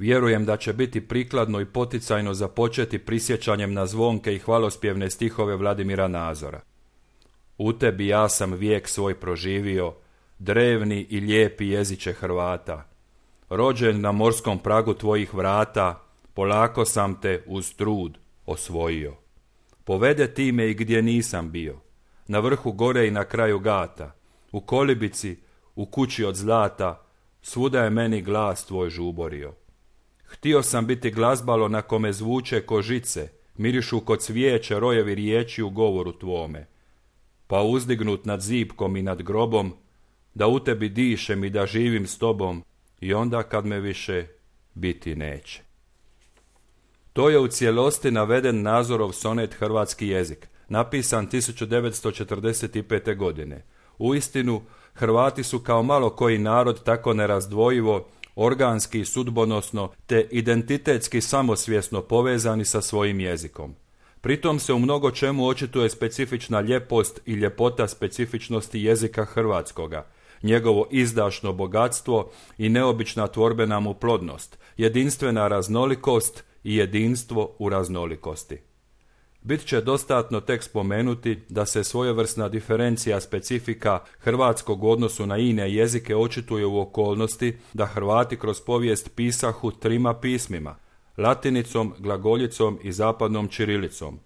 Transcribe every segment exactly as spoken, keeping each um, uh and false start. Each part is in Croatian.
Vjerujem da će biti prikladno i poticajno započeti prisjećanjem na zvonke i hvalospjevne stihove Vladimira Nazora. U tebi ja sam vijek svoj proživio, drevni i lijepi jeziče Hrvata. Rođen na morskom pragu tvojih vrata, polako sam te uz trud osvojio. Povede ti me i gdje nisam bio, na vrhu gore i na kraju gata, u kolibici, u kući od zlata, svuda je meni glas tvoj žuborio. Htio sam biti glazbalo na kome zvuče ko žice, mirišu kod cvijeće rojevi riječi u govoru tvome. Pa uzdignut nad zipkom i nad grobom, da u tebi dišem i da živim s tobom, i onda kad me više biti neće. To je u cijelosti naveden Nazorov sonet Hrvatski jezik, napisan tisuću devetsto četrdeset pete. godine. Uistinu, Hrvati su kao malo koji narod tako nerazdvojivo, organski i sudbonosno te identitetski samosvjesno povezani sa svojim jezikom. Pritom se u mnogo čemu očituje specifična ljepost i ljepota specifičnosti jezika hrvatskoga, njegovo izdašno bogatstvo i neobična tvorbena mu plodnost, jedinstvena raznolikost i jedinstvo u raznolikosti. Bit će dostatno tek spomenuti da se svojevrsna diferencija specifika hrvatskog u odnosu na ine jezike očituje u okolnosti da Hrvati kroz povijest pisahu trima pismima, latinicom, glagoljicom i zapadnom ćirilicom,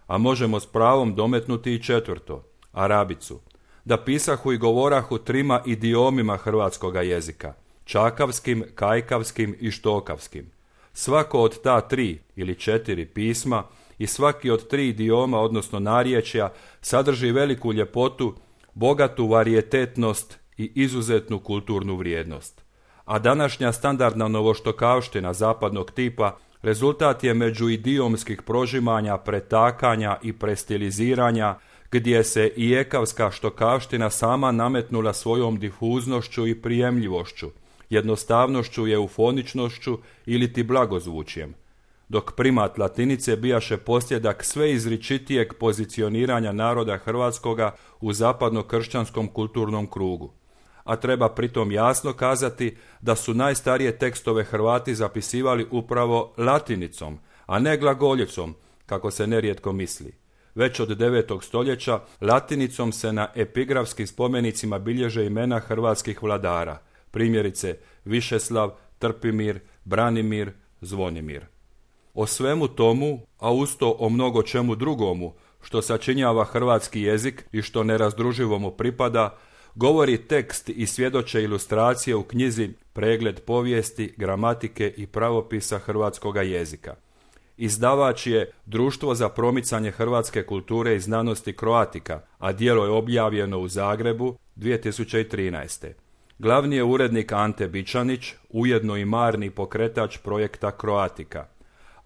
a možemo s pravom dometnuti i četvrto, arabicu, da pisahu i govorahu trima idiomima hrvatskoga jezika, čakavskim, kajkavskim i štokavskim. Svako od ta tri ili četiri pisma i svaki od tri idioma, odnosno narječja, sadrži veliku ljepotu, bogatu varijetetnost i izuzetnu kulturnu vrijednost. A današnja standardna novoštokavština zapadnog tipa rezultat je međuidiomskih prožimanja, pretakanja i prestiliziranja, gdje se i ekavska štokavština sama nametnula svojom difuznošću i prijemljivošću, jednostavnošću i eufoničnošću ili ti blagozvučjem, dok primat latinice bijaše posljedak sve izričitijeg pozicioniranja naroda hrvatskoga u zapadno-kršćanskom kulturnom krugu. A treba pritom jasno kazati da su najstarije tekstove Hrvati zapisivali upravo latinicom, a ne glagoljicom, kako se nerijetko misli. Već od devetog stoljeća latinicom se na epigrafskim spomenicima bilježe imena hrvatskih vladara, primjerice Višeslav, Trpimir, Branimir, Zvonimir. O svemu tomu, a usto o mnogo čemu drugomu, što sačinjava hrvatski jezik i što nerazdruživo mu pripada, govori tekst i svjedoče ilustracije u knjizi Pregled povijesti, gramatike i pravopisa hrvatskoga jezika. Izdavač je Društvo za promicanje hrvatske kulture i znanosti Croatica, a djelo je objavljeno u Zagrebu dvije tisuće trinaeste. Glavni je urednik Ante Bičanić, ujedno i marni pokretač projekta Croatica.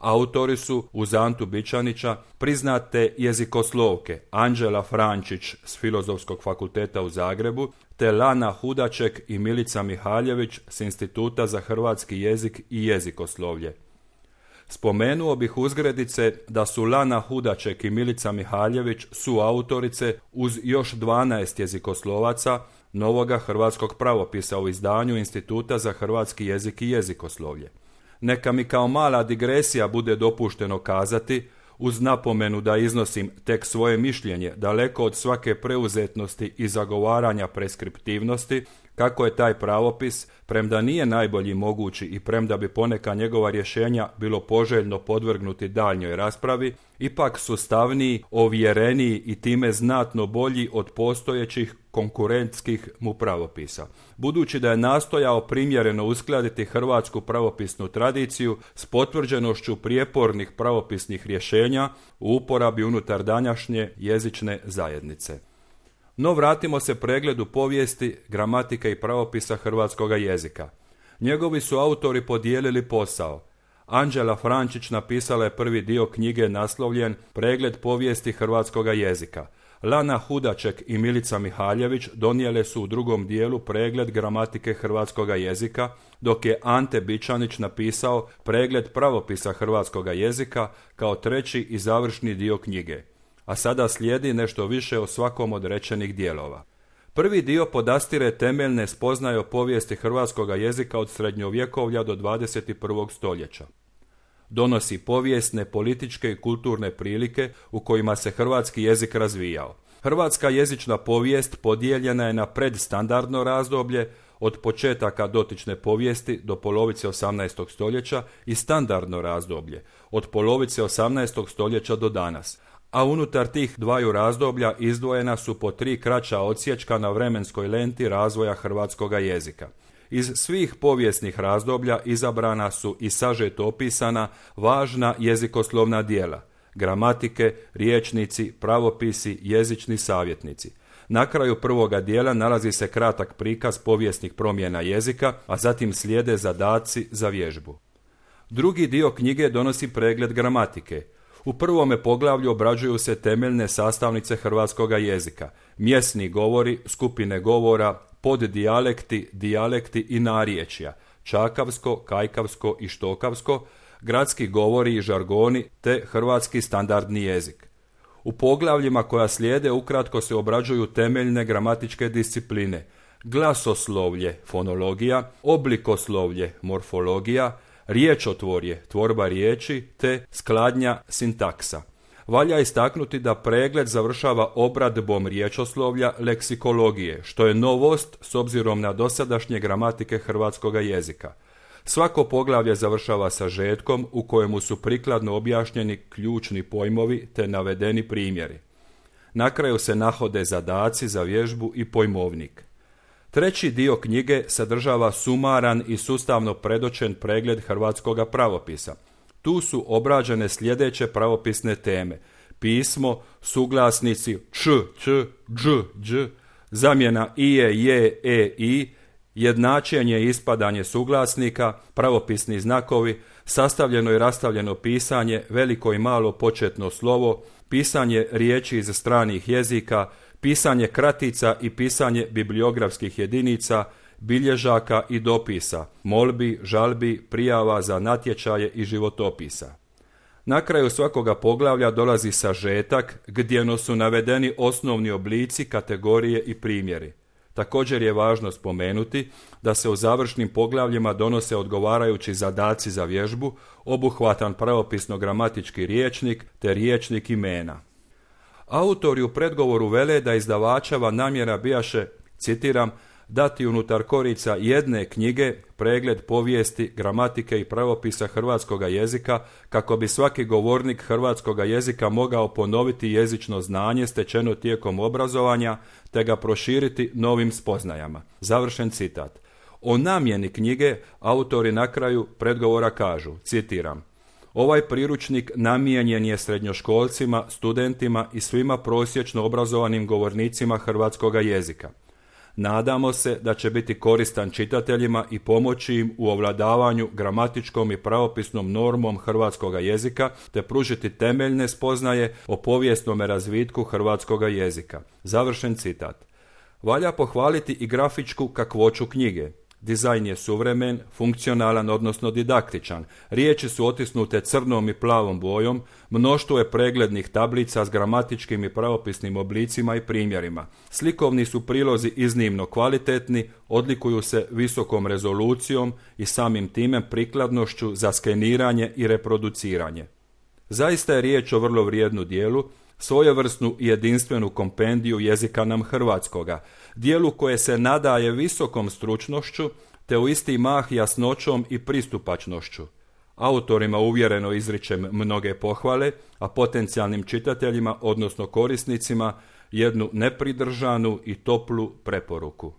Autori su, uz Antu Bičanića, priznate jezikoslovke Anđela Frančić s Filozofskog fakulteta u Zagrebu, te Lana Hudaček i Milica Mihaljević s Instituta za hrvatski jezik i jezikoslovlje. Spomenuo bih uzgredice da su Lana Hudaček i Milica Mihaljević suautorice uz još dvanaest jezikoslovaca novoga hrvatskog pravopisa u izdanju Instituta za hrvatski jezik i jezikoslovlje. Neka mi kao mala digresija bude dopušteno kazati, uz napomenu da iznosim tek svoje mišljenje daleko od svake preuzetnosti i zagovaranja preskriptivnosti, kako je taj pravopis, premda nije najbolji mogući i premda bi poneka njegova rješenja bilo poželjno podvrgnuti daljnjoj raspravi, ipak sustavniji, ovjereniji i time znatno bolji od postojećih konkurentskih mu pravopisa. Budući da je nastojao primjereno uskladiti hrvatsku pravopisnu tradiciju s potvrđenošću prijepornih pravopisnih rješenja u uporabi unutar današnje jezične zajednice. No vratimo se pregledu povijesti, gramatike i pravopisa hrvatskoga jezika. Njegovi su autori podijelili posao. Anđela Frančić napisala je prvi dio knjige naslovljen Pregled povijesti hrvatskoga jezika. Lana Hudaček i Milica Mihaljević donijele su u drugom dijelu Pregled gramatike hrvatskoga jezika, dok je Ante Bičanić napisao Pregled pravopisa hrvatskoga jezika kao treći i završni dio knjige. A sada slijedi nešto više o svakom od rečenih dijelova. Prvi dio podastire temeljne spoznaje o povijesti hrvatskoga jezika od srednjovjekovlja do dvadeset prvog stoljeća. Donosi povijesne, političke i kulturne prilike u kojima se hrvatski jezik razvijao. Hrvatska jezična povijest podijeljena je na predstandardno razdoblje od početaka dotične povijesti do polovice osamnaestog stoljeća i standardno razdoblje od polovice osamnaestog stoljeća do danas, a unutar tih dvaju razdoblja izdvojena su po tri kraća odsječka na vremenskoj lenti razvoja hrvatskoga jezika. Iz svih povijesnih razdoblja izabrana su i sažeto opisana važna jezikoslovna djela, gramatike, rječnici, pravopisi, jezični savjetnici. Na kraju prvoga dijela nalazi se kratak prikaz povijesnih promjena jezika, a zatim slijede zadaci za vježbu. Drugi dio knjige donosi pregled gramatike. U prvome poglavlju obrađuju se temeljne sastavnice hrvatskoga jezika, mjesni govori, skupine govora, poddijalekti, dijalekti i narječja, čakavsko, kajkavsko i štokavsko, gradski govori i žargoni te hrvatski standardni jezik. U poglavljima koja slijede ukratko se obrađuju temeljne gramatičke discipline, glasoslovlje, fonologija, oblikoslovlje, morfologija, riječotvorje, tvorba riječi te skladnja, sintaksa. Valja istaknuti da pregled završava obradbom riječoslovlja leksikologije, što je novost s obzirom na dosadašnje gramatike hrvatskoga jezika. Svako poglavlje završava sažetkom u kojemu su prikladno objašnjeni ključni pojmovi te navedeni primjeri. Na kraju se nahode zadaci za vježbu i pojmovnik. Treći dio knjige sadržava sumaran i sustavno predočen pregled hrvatskoga pravopisa. Tu su obrađene sljedeće pravopisne teme: pismo, suglasnici č, č, dž, dž, zamjena ije, je, e, i, jednačenje i ispadanje suglasnika, pravopisni znakovi, sastavljeno i rastavljeno pisanje, veliko i malo početno slovo, pisanje riječi iz stranih jezika, pisanje kratica i pisanje bibliografskih jedinica, bilježaka i dopisa, molbi, žalbi, prijava za natječaje i životopisa. Na kraju svakoga poglavlja dolazi sažetak gdje su navedeni osnovni oblici, kategorije i primjeri. Također je važno spomenuti da se u završnim poglavljima donose odgovarajući zadaci za vježbu, obuhvatan pravopisno-gramatički rječnik te rječnik imena. Autori u predgovoru vele da izdavačeva namjera bijaše, citiram, dati unutar korica jedne knjige pregled povijesti, gramatike i pravopisa hrvatskoga jezika kako bi svaki govornik hrvatskoga jezika mogao ponoviti jezično znanje stečeno tijekom obrazovanja te ga proširiti novim spoznajama. Završen citat. O namjeni knjige autori na kraju predgovora kažu, citiram, ovaj priručnik namijenjen je srednjoškolcima, studentima i svima prosječno obrazovanim govornicima hrvatskoga jezika. Nadamo se da će biti koristan čitateljima i pomoći im u ovladavanju gramatičkom i pravopisnom normom hrvatskoga jezika te pružiti temeljne spoznaje o povijesnom razvitku hrvatskoga jezika. Završen citat. Valja pohvaliti i grafičku kakvoću knjige. Dizajn je suvremen, funkcionalan odnosno didaktičan, riječi su otisnute crnom i plavom bojom, mnoštvo je preglednih tablica s gramatičkim i pravopisnim oblicima i primjerima. Slikovni su prilozi iznimno kvalitetni, odlikuju se visokom rezolucijom i samim time prikladnošću za skeniranje i reproduciranje. Zaista je riječ o vrlo vrijednu dijelu, svojevrsnu i jedinstvenu kompendiju jezika nam hrvatskoga, dijelu koje se nadaje visokom stručnošću te u isti mah jasnoćom i pristupačnošću. Autorima uvjereno izričem mnoge pohvale, a potencijalnim čitateljima, odnosno korisnicima, jednu nepridržanu i toplu preporuku.